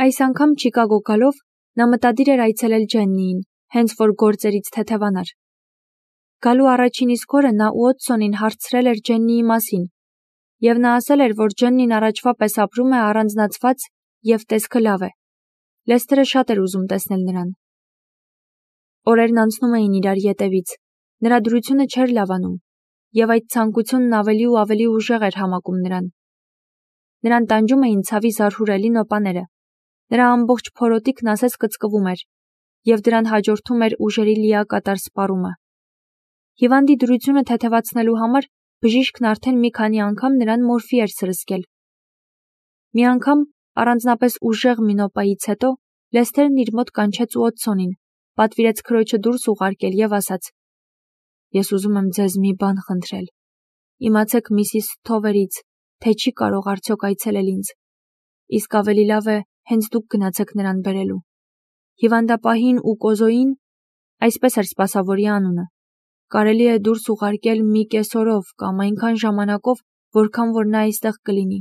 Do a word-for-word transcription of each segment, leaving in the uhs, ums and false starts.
Այս անգամ Չիկագո գալով նա մտադիր էր այցելել Ջեննիին, հենց որ գործերից թեթևանար։ Գալու առաջին իսկ օրը նա Ուոտսոնին հարցրել էր Ջեննիի մասին, եւ նա ասել էր, որ Ջեննին առաջվա պես ապրում է առանձնացված եւ տեսքը լավ է։ Լեսթերը շատ էր ուզում տեսնել նրան։ Օրերն անցնում էին իրար ետևից, նրա դրությունը չէր լավանում, եւ այդ ցանկությունն ավելի ու ավելի ուժեղ էր համակում նրան։ Նրան տանջում էին ցավի զարհուրելի նոպաները, նրա ամբողջ փորոտիքն ասես կծկվում էր, եւ դրան հաջորդում էր ուժերի լիակատար սպառումը։ Հիվանդի դրությունը թեթևացնելու համար բժիշկն արդեն մի քանի անգամ նրան մորֆի էր սրսկել։ Մի անգամ, առանձնապես ուժեղ մի նոպայից հետո, Լեսթերն իր մոտ կանչեց Ուոտսոնին, պատվիրեց քրոջը դուրս ուղարկել եւ ասաց. «Ես ուզում եմ ձեզ մի բան խնդրել։ Իմացեք միսիս Սթովերից, թե չի կարող արդյոք այցելել ինձ։ Իսկ ավելի լավ է հենց դուք գնացեք նրան բերելու։ Հիվանդապահին ու Կոզոյին, այսպես էր սպասավորի անունը, կարելի է դուրս ուղարկել մի կես օրով կամ այնքան ժամանակով, որքան որ նա այստեղ կլինի։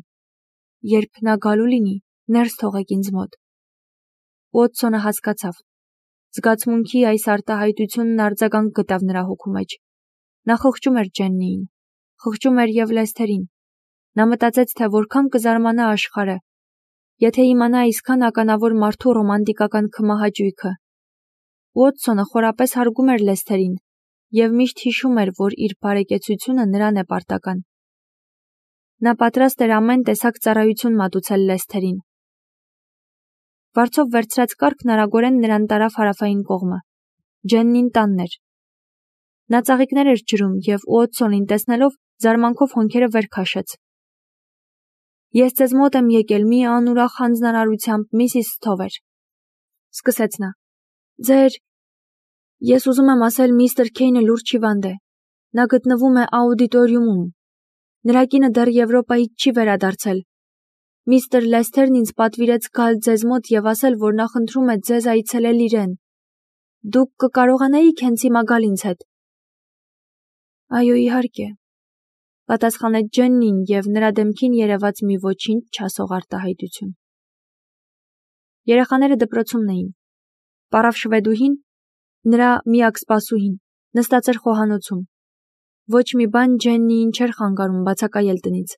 Երբ նա գալու լինի, ներս թողեք ինձ մոտ»։ Ուոտսոնը հասկացավ։ Զգացմունքի այս արտահայտությունն արձագանք գտավ նրա հոգու մեջ։ Նա խղճում էր Ջեննիին, խղճում էր եւ Լեսթերին։ Նա մտածեց, թե որքան կզարմանա աշխարհը, եթե իմանա այսքան ականավոր մարդու ռոմանտիկական քմահաճույքը։ Ուոտսոնը խորապես հարգում էր Լեսթերին եւ միշտ հիշում էր, որ իր բարեկեցությունը նրան է պարտական։ Նա պատրաստ էր ամեն տեսակ ծառայություն մատուցել Լեսթերին։ Վարձով վերցրած կառքն արագորեն նրան տարավ հարավային կողմը։ Ջեննին տանն էր։ Նա ծաղիկներ էր ջրում եւ Ուոտսոնին տեսնելով զարմանքով հոնքերը վեր քաշեց։ «Ես ձեզ մոտ եմ եկել մի անուրախ հանձնարարությամբ, միսիս Սթովեր», սկսեց նա։ «Ձեր… Ես ուզում եմ ասել, միստր Քեյնը լուրջ հիվանդ է։ Նա գտնվում է աուդիտորիումում։ Նրա կինը դեռ Եվրոպայից չի վերադարձել։ Միստր Լեսթերն ինձ պատվիրեց գալ ձեզ մոտ եւ ասել, որ նա խնդրում է ձեզ այցելել իրեն։ Դուք կկարողանայիք հենց հիմա գալ ինձ հետ»։ «Այո, իհարկե», պատասխանեց Ջեննին եւ նրա դեմքին երևաց մի ոչինչ չասող արտահայտություն։ Երեխաները դպրոցումն էին։ Պարավ շվեդուհին, նրա միակ սպասուհին, նստած էր խոհանոցում։ Ոչ մի բան Ջեննիին չէր խանգարում բացակայել տնից,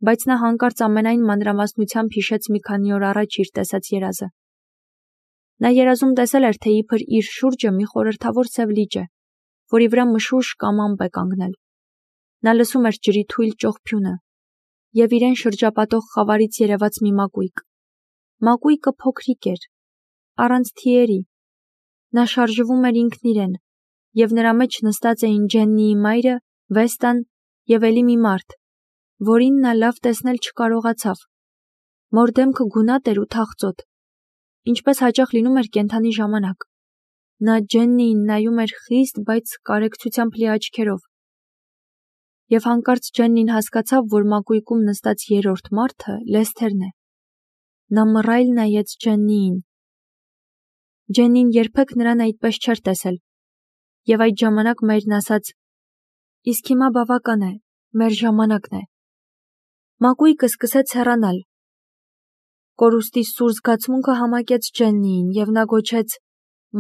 բայց նա հանկարծ ամենայն մանրամասնությամբ հիշեց մի քանի օր առաջ իր տեսած երազը։ Նա երազում տեսել էր, թե իբր իր շուրջը մի խորհրդավոր սև լիճ է, որի վրա մշուշ կամ ամպ է կանգնել։ Նա լսում էր ջրի թույլ ճողփյունը եւ իրեն շրջապատող խավարից երևաց մի մակույկ։ Մակույկը փոքրիկ էր, առանց թիերի։ Նա շարժվում էր ինքն իրեն, եւ նրա մեջ նստած էին Ջեննիի մայրը, Վեստան եւ էլի մի մարդ, որին նա լավ տեսնել չկարողացավ։ Մոր դեմքը գունատ էր ու թախծոտ, ինչպես հաճախ լինում էր կենդանի ժամանակ։ Նա Ջեննիին նայում էր խիստ, բայց կարեկցությամբ լի աչքերով։ Եվ հանկարծ Ջեննին հասկացավ, որ մակույկում նստած երրորդ մարդը Լեսթերն է։ Նա մռայլ նայեց Ջեննիին։ Ջեննին երբեք նրան այդպես չէր տեսել։ Եվ այդ ժամանակ մայրն ասաց. «Իսկ հիմա բավական է, մեր ժամանակն է»։ Մակույկը սկսեց հեռանալ։ Կորուստի սուր զգացմունքը համակեց Ջեննիին եւ նա գոչեց.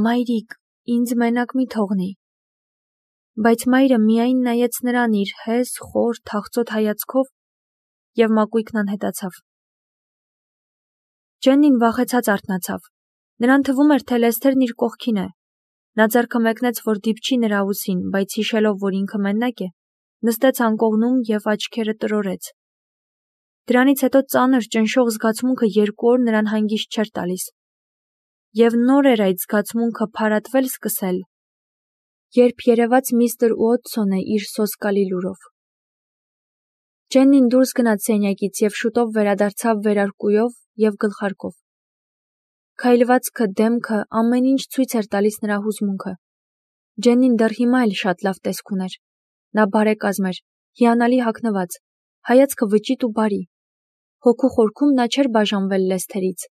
«Մայրիկ, ինձ մենակ մի թողնի»։ Բայց մայրը միայն նայեց նրան իր հես, խոր, թախծոտ հայացքով եւ մակույկն անհետացավ։ Ջեննին վախեցած արթնացավ։ Նրան թվում էր, թե Լեսթերն իր կողքին է։ Նա ձեռքը մեկնեց, որ դիպչի նրա ուսին, բայց հիշելով, որ ինքը մենակ է, նստեց անկողնում եւ աչքերը տրորեց։ Դրանից հետո ծանր ճնշող զգացմունքը երկու օր նրան հանգիստ չէր տալիս։ Եվ նոր էր այդ զգացմունքը փարատվել սկսել, երբ երևաց միստր Ուոտսոնը իր սոսկալի լուրով։ Ջեննին դուրս գնաց սենյակից եւ շուտով վերադարձավ վերարկուով եւ գլխարկով։ Քայլվածքը, դեմքը, ամեն ինչ ցույց էր տալիս նրա հուզմունքը։ Ջեննին դեռ հիմա էլ շատ լավ տեսք ուներ։ Նա բարեկազմ էր, հիանալի հագնված, հայացքը վճիտ ու բարի։ Հոգու խորքում նա չէր բաժանվել Լեսթերից,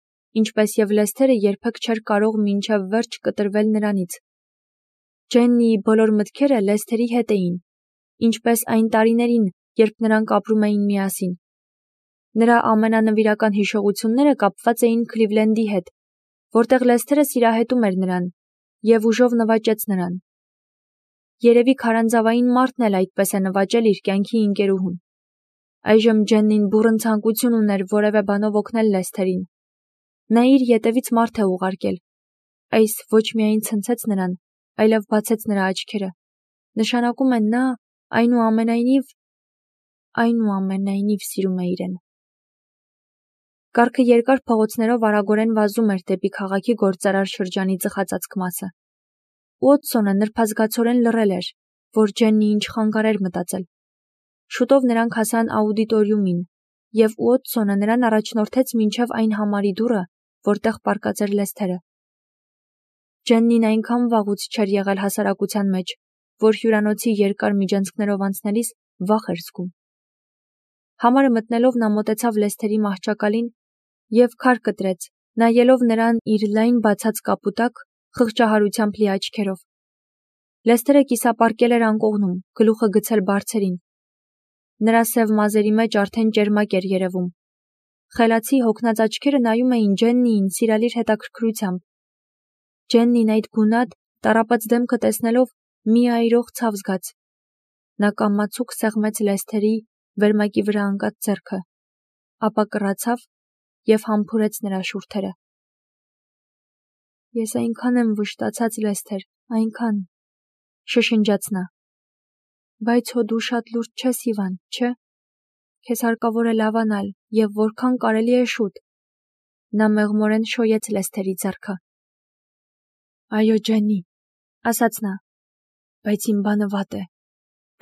ինչպես եւ Լեսթերը երբեք չէր կարող մինչև վերջ կտրվել նրանից։ Ջեննիի բոլոր մտքերը Լեսթերի հետ էին, ինչպես այն տարիներին, երբ նրանք ապրում էին միասին։ Նրա ամենանվիրական հիշողությունները կապված էին Քլիվլենդի հետ, որտեղ Լեսթերը սիրահետում էր նրան և ուժով նվաճեց նրան։ Երևի քարանձավային մարդն էլ այդպես է նվաճել իր կյանքի ընկերուհուն։ Այժմ Ջեննին բուռն ցանկություն ուներ որևէ բանով օգնել Լեսթերին։ Նա իր ետևից մարդ է ուղարկել։ Այս ոչ միայն ցնցեց նրան, այլև բացեց նրա աչքերը։ Նշանակում է նա այնուամենայնիվ այնուամենայնիվ սիրում է իրեն։ Կառքը երկար փողոցներով արագորեն վազում էր դեպի քաղաքի գործարար շրջանի ծխածածկ մասը։ Ուոտսոնը նրբազգացորեն լռել էր, որ Ջեննի ինչ խանգարեր մտածել։ Շուտով նրանք հասան աուդիտորիումին, և Ուոտսոնը նրան առաջնորդեց մինչև այն համարի դուռը, որտեղ պառկած էր Լեսթերը։ Ջեննին այնքան վաղուց չէր եղել հասարակության մեջ, որ հյուրանոցի երկար միջանցքներով անցնելիս վախ էր զգում։ Համարը մտնելով նա մոտեցավ Լեսթերի մահճակալին և քար կտրեց, նայելով նրան իր լայն բացած կապու տակ խղճահարությամբ լի աչքերով։ Լեսթերը կիսապառկել էր անկողնում, գլուխը գցել բարձերին։ Նրա սև մազերի մեջ արդեն ճերմակ էր երևում։ Խելացի հոգնած աչքերը նայում էին Ջեննիին սիրալիր հետաքրքրությամբ։ Ջեննին այդ գունատ, տառապած դեմքը տեսնելով մի այրող ցավ զգաց։ Նա կամացուկ սեղմեց Լեսթերի վերմակի վրա ընկած ձեռքը, ապա կռացավ և համբուրեց նրա շուրթերը։ Ես այնքան եմ վշտացած, Լեսթեր, այնքան, շշնջաց նա։ Բայց հո դու շատ լուրջ չես հիվանդ, չէ՞։ Քեզ հարկավոր է լավանալ և որքան կարելի է շուտ։ Նա մեղմորեն շոյեց Լեսթերի ձեռքը։ Այո, Ջեննի, ասաց նա, բայց իմ բանը վատ է։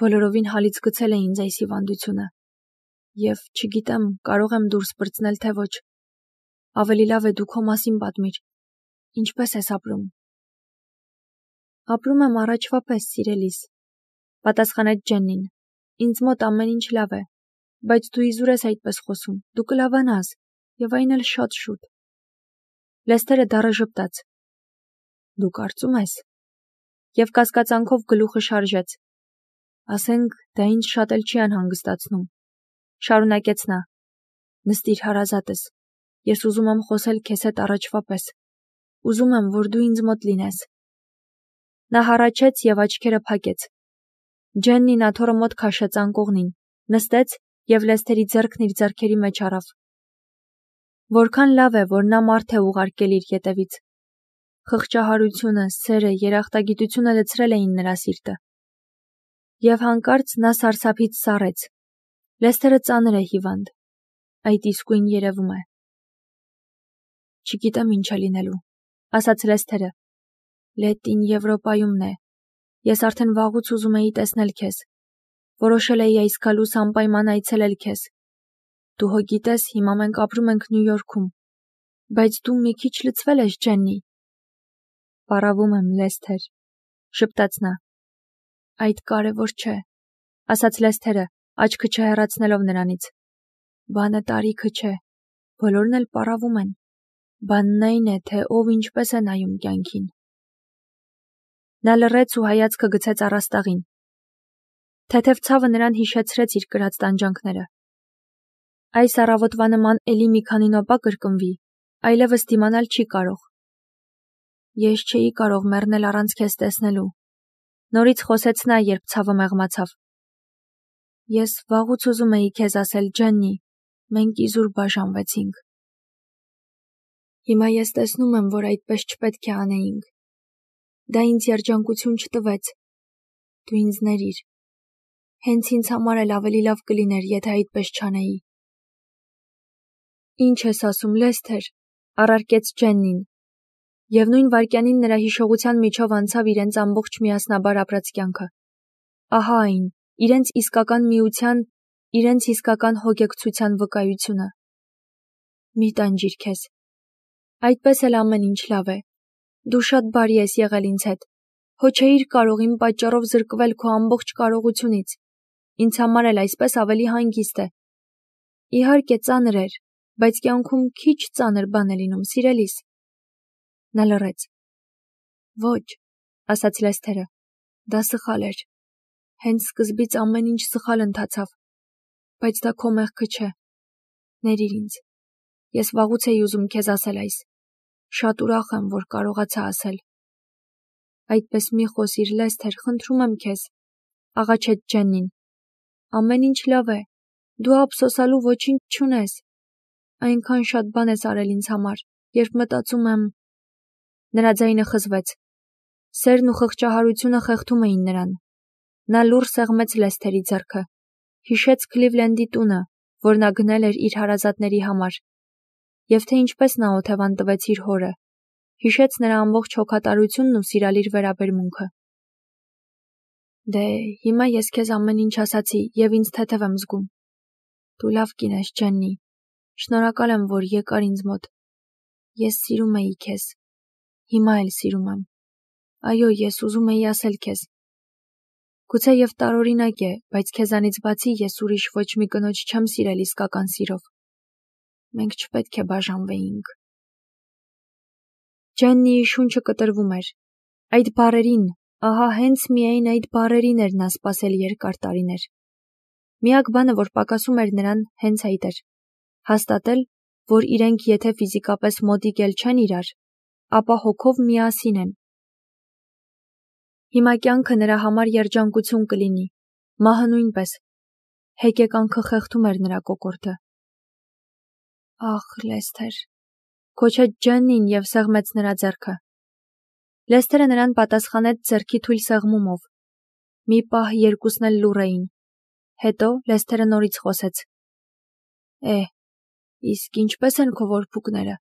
Բոլորովին հալից գցել է ինձ այս հիվանդությունը։ Եվ չգիտեմ, կարող եմ դուրս պրծնել, թե ոչ։ Ավելի լավ է դու քո մասին պատմիր։ Ինչպե՞ս ես ապրում։ Ապրում եմ առաջվա պես, սիրելիս, պատասխանեց Ջեննին։ Ինձ մոտ ամեն ինչ լավ է, բայց դու իզուր ես այդպես խոսում, դու կլավանաս, և այն էլ շատ շուտ։ Լեսթերը դառը ժպտաց։ Դու կարծում ես։ Եվ կասկածանքով գլուխը շարժեց։ Ասենք, դա ինձ շատ էլ չի անհանգստացնում։ Շարունակեց նա։ Նստիր, հարազատս, ես ուզում եմ խոսել քեզ հետ առաջվա պես։ Ուզում եմ, որ դու ինձ մոտ լինես։ Նա հառաչեց և աչքերը փակեց։ Ջեննին աթոռը մոտ քաշեց անկողնին, նստեց և Լեսթերի ձեռքն իր ձեռքերի մեջ առավ։ Որքան լավ է, որ նա մարդ է ուղարկել իր ետևից։ Խղճահարությունը, սերը, երախտագիտությունը լցրել էին նրա սիրտը։ Եվ հանկարծ նա սարսափից սառեց։ Լեսթերը ծանր է հիվանդ։ Այդ իսկույն երևում է։ Չգիտեմ ինչ է լինելու, ասաց Լեսթերը։ Լետին Եվրոպայումն է։ Ես արդեն վաղուց ուզում էի տեսնել քեզ։ Որոշել էի այս գալուս անպայման այցելել քեզ։ Դու հո գիտես, հիմա մենք ապրում ենք Նյու Յորքում։ Բայց դու մի քիչ լցվել ես, Ջեննի։ Պարավում եմ, Լեսթեր, շպտաց նա։ Այդ կարևոր չէ, ասաց Լեսթերը, աչքը չհեռացնելով նրանից։ Բանը տարիքը չէ, բոլորն էլ պարավում են։ Բանն այն է, թե ով ինչպես է նայում կյանքին։ Նա լռեց ու հայացքը գցեց առաստաղին։ Թեթև ցավը նրան հիշեցրեց իր կրած տանջանքները։ Այս առավոտվա նման էլի մի քանի նոպա կրկնվի, այլևս դիմանալ չի կարող։ Ես չէի կարող մեռնել առանց քեզ տեսնելու։ Նորից խոսեց նա, երբ ցավը մեղմացավ։ Ես վաղուց ուզում էի քեզ ասել, Ջեննի, մենք իզուր բաժանվեցինք։ Հիմա ես տեսնում եմ, որ այդպես չպետք է անեինք։ Դա ինձ երջանկություն չտվեց։ Դու ինձ ների։ Հենց ինձ համար էլ ավելի լավ կլիներ, եթե այդպես չանեի։ Ինչ ես ասում, Լեսթեր, առարկեց Ջեննին։ Եվ նույն վայրկյանին նրա հիշողության միջով անցավ իրենց ամբողջ միասնաբար ապրած կյանքը։ Ահա այն, իրենց իսկական միության, իրենց իսկական հոգեկցության վկայությունը։ Մի տանջիր քեզ։ Այդպես էլ ամեն ինչ լավ է։ Դու շատ բարի ես եղել ինձ հետ։ Հո չէիր կարող իմ պատճառով զրկվել քո ամբողջ կարողությունից։ Ինձ համար էլ այսպես ավելի հանգիստ է։ Իհարկե ծանր էր, բայց կյանքում քիչ ծանր բան է լինում, սիրելիս։ Նա լռեց։ Ոչ, ասաց Լեսթերը, դա սխալ էր։ Հենց սկզբից ամեն ինչ սխալ ընթացավ։ Բայց դա քո մեղքը չէ։ Ներիր ինձ։ Ես վաղուց էի ուզում քեզ ասել այս։ Շատ ուրախ եմ, որ կարողացա ասել։ Այդպես մի խոսիր, Լեսթեր, խնդրում եմ քեզ, աղաչեց Ջեննին։ Ամեն ինչ լավ է։ Դու ափսոսալու ոչինչ չունես։ Այնքան շատ բան ես արել ինձ համար, երբ մտածում եմ… Նրա ձայնը խզվեց։ Սերն ու խղճահարությունը խեղդում էին նրան։ Նա լուռ սեղմեց Լեսթերի ձեռքը։ Հիշեց Քլիվլենդի տունը, որ նա գնել էր իր հարազատների համար, և թե ինչպես նա օթևան տվեց իր հորը։ Հիշեց նրա ամբողջ հոգատարությունն ու սիրալիր վերաբերմունքը։ Դե, հիմա ես քեզ ամեն ինչ ասացի և ինձ թեթև եմ զգում։ Դու լավ կին ես, Ջեննի։ Շնորհակալ եմ, որ եկար ինձ մոտ։ Ես սիրում էի քեզ։ Հիմա էլ սիրում եմ։ Այո, ես ուզում էի ասել քեզ։ Գուցե և տարօրինակ է, բայց քեզանից բացի ես ուրիշ ոչ մի կնոջ չեմ սիրել իսկական սիրով։ Մենք չպետք է բաժանվեինք։ Ջեննիի շունչը կտրվում էր։ Այդ բառերին, ահա հենց միայն այդ բառերին էր նա սպասել երկար տարիներ։ Միակ բանը, որ պակասում էր նրան, հենց այդ էր։ Հաստատել, որ իրենք եթե ֆիզիկապես մոտիկ էլ չեն իրար, ապա հոգով միասին են։ Հիմա կյանքը նրա համար երջանկություն կլինի, մահը նույնպես։ Հեկեկանքը խեղդում էր նրա կոկորդը։ Ախ, Լեսթեր, քոչեց Ջեննին և սեղմեց նրա ձեռքը։ Լեսթերը նրան պատասխանեց ձեռքի թույլ սեղմումով։ Մի պահ երկուսն էլ լուռ էին։ Հետո Լեսթերը նորից խոսեց. Է, իսկ ինչպե՞ս են քո որբուկները։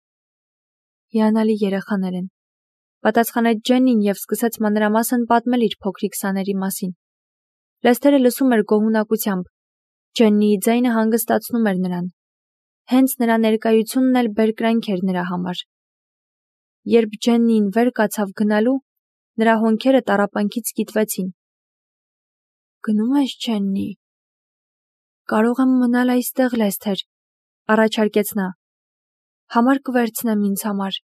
Հիանալի երեխաներ են, պատասխանեց Ջեննին և սկսեց մանրամասն պատմել իր փոքրիկ սաների մասին։ Լեսթերը լսում էր գոհունակությամբ։ Ջեննիի ձայնը հանգստացնում էր նրան։ Հենց նրա ներկայությունն էլ բերկրանք էր նրա համար։ Երբ Ջեննին վեր կացավ գնալու, նրա հոնքերը տառապանքից կիտվեցին։ Գնում ես, Ջեննի։ Կարող եմ մնալ այստեղ, Լեսթեր, առաջարկեց նա։ Համար կվերցնեմ ինձ համար,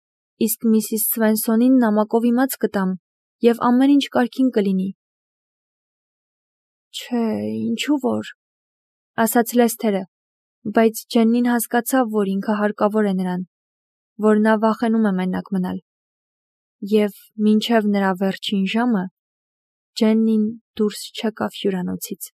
իսկ միսիս Սվենսոնին նամակով իմաց կտամ, և ամեն ինչ կարգին կլինի։ Չէ, ինչու որ, ասաց Լեսթերը, բայց Ջեննին հասկացավ, որ ինքը հարկավոր է նրան, որ նա վախենում է մենակ մնալ։ Եվ մինչև նրա վերջին ժամը Ջեննին դուրս չեկավ հյուրանոցից։